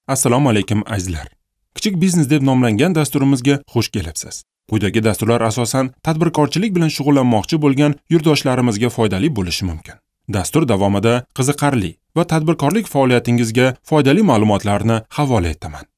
Assalomu alaykum azizlar. Kichik biznes deb nomlangan dasturimizga xush kelibsiz. Quyidagi dasturlar asosan tadbirkorchilik bilan shug'ullanmoqchi bo'lgan yurtdoshlarimizga foydali bo'lishi mumkin. Dastur davomida qiziqarli va tadbirkorlik faoliyatingizga foydali ma'lumotlarni havola etaman.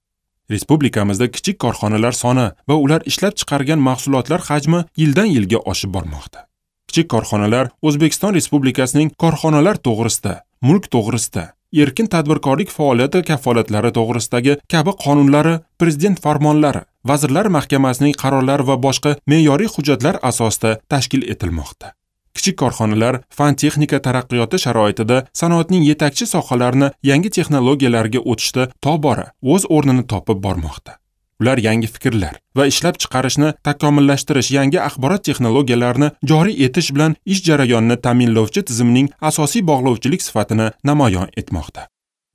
Respublikamizda kichik korxonalar soni va ular ishlab chiqargan mahsulotlar hajmi yildan yilga oshib bormoqda. Kichik korxonalar O'zbekiston Respublikasining korxonalar to'g'risida, mulk to'g'risida, erkin tadbirkorlik faoliyati kafolatlari to'g'risidagi kabi qonunlari, prezident farmonlari, Vazirlar Mahkamasining qarorlari va boshqa me'yoriy hujjatlar asosida tashkil etilmoqda. Kichik korxonalar fan-texnika taraqqiyoti sharoitida sanoatning yetakchi sohalarini yangi texnologiyalarga o'tishda tobora o'z o'rnini topib bormoqda. Ular yangi fikrlar va ishlab chiqarishni takomillashtirish, yangi axborot texnologiyalarini joriy etish bilan ish jarayonini ta'minlovchi tizimning asosiy bog'lovchilik sifatini namoyon etmoqda.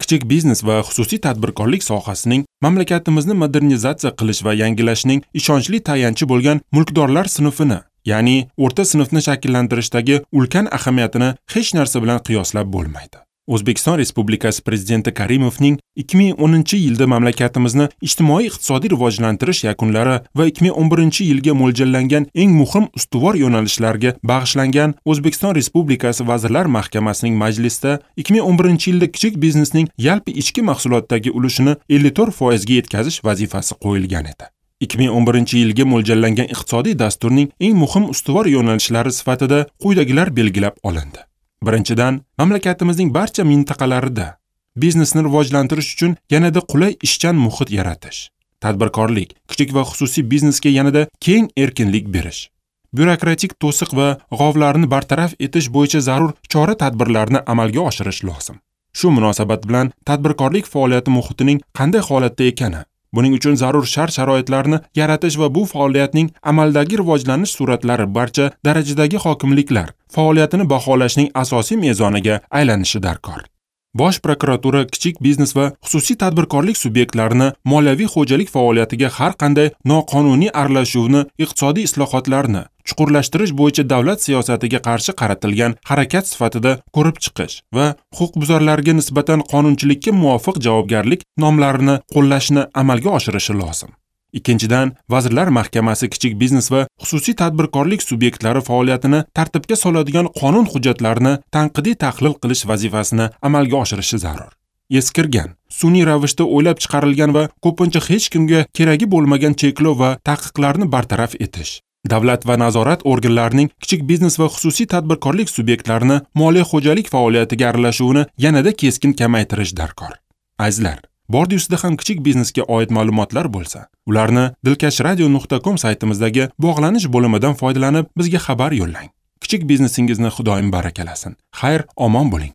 Kichik biznes va xususiy tadbirkorlik sohasining mamlakatimizni modernizatsiya qilish va yangilashning ishonchli tayanchi bo'lgan mulkdorlar sinfini, ya'ni o'rta sinfni shakllantirishdagi ulkan ahamiyatini hech narsa bilan qiyoslab bo'lmaydi. O'zbekiston Respublikasi Prezidenti Karimovning 2010-yilda mamlakatimizni ijtimoiy-iqtisodiy rivojlantirish yakunlari va 2011-yilga mo'ljallangan eng muhim ustuvor yo'nalishlarga bag'ishlangan O'zbekiston Respublikasi Vazirlar Mahkamasining majlisida 2011-yilda kichik biznesning yalpi ichki mahsulotdagi ulushini 54% ga yetkazish vazifasi qo'yilgan edi. 2011-yilga mo'ljallangan iqtisodiy dasturning eng muhim ustuvor yo'nalishlari sifatida quyidagilar belgilab olindi. Birinchidan, mamlakatimizning barcha mintaqalarida biznesni rivojlantirish uchun yanada qulay ishchan muhit yaratish, tadbirkorlik, kichik va xususiy biznesga yanada keng erkinlik berish, byurokratik to'siq va g'ovlarni bartaraf etish bo'yicha zarur chora-tadbirlarni amalga oshirish lozim. Shu munosabat bilan tadbirkorlik faoliyati muhitining qanday holatda ekani, buning uchun zarur shart-sharoitlarni yaratish va bu faoliyatning amaldagi rivojlanish suratlari barcha darajadagi hokimliklar faoliyatini baholashning asosiy mezoniga aylanishi darkor. Bosh prokuratura kichik biznes va xususiy tadbirkorlik subyektlarini moliyaviy xo'jalik faoliyatiga har qanday noqonuniy aralashuvni, iqtisodiy islohotlarni chuqurlashtirish bo'yicha davlat siyosatiga qarshi qaratilgan harakat sifatida ko'rib chiqish va huquqbuzarlarga nisbatan qonunchilikka muvofiq javobgarlik nomlarini qo'llashni amalga oshirishi lozim. Ikkinchidan, Vazirlar Mahkamasi kichik biznes va xususiy tadbirkorlik subyektlari faoliyatini tartibga soladigan qonun hujjatlarini tanqidiy tahlil qilish vazifasini amalga oshirishi zarur. Eskirgan, sun'iy ravishda o'ylab chiqarilgan va ko'pincha hech kimga keragi bo'lmagan cheklov va taqiqlarni bartaraf etish, davlat va nazorat organlarining kichik biznes va xususiy tadbirkorlik subyektlarini moliya xo'jalik faoliyatiga aralashuvini yanada keskin kamaytirish darkor. Azizlar, bordi ustida ham kichik biznesga oid ma'lumotlar bo'lsa, ularni dilkashradio.com saytimizdagi bog'lanish bo'limidan foydalanib bizga xabar yo'llang. Kichik biznesingizni Xudoyim barakalasin. Xayr, omon bo'ling.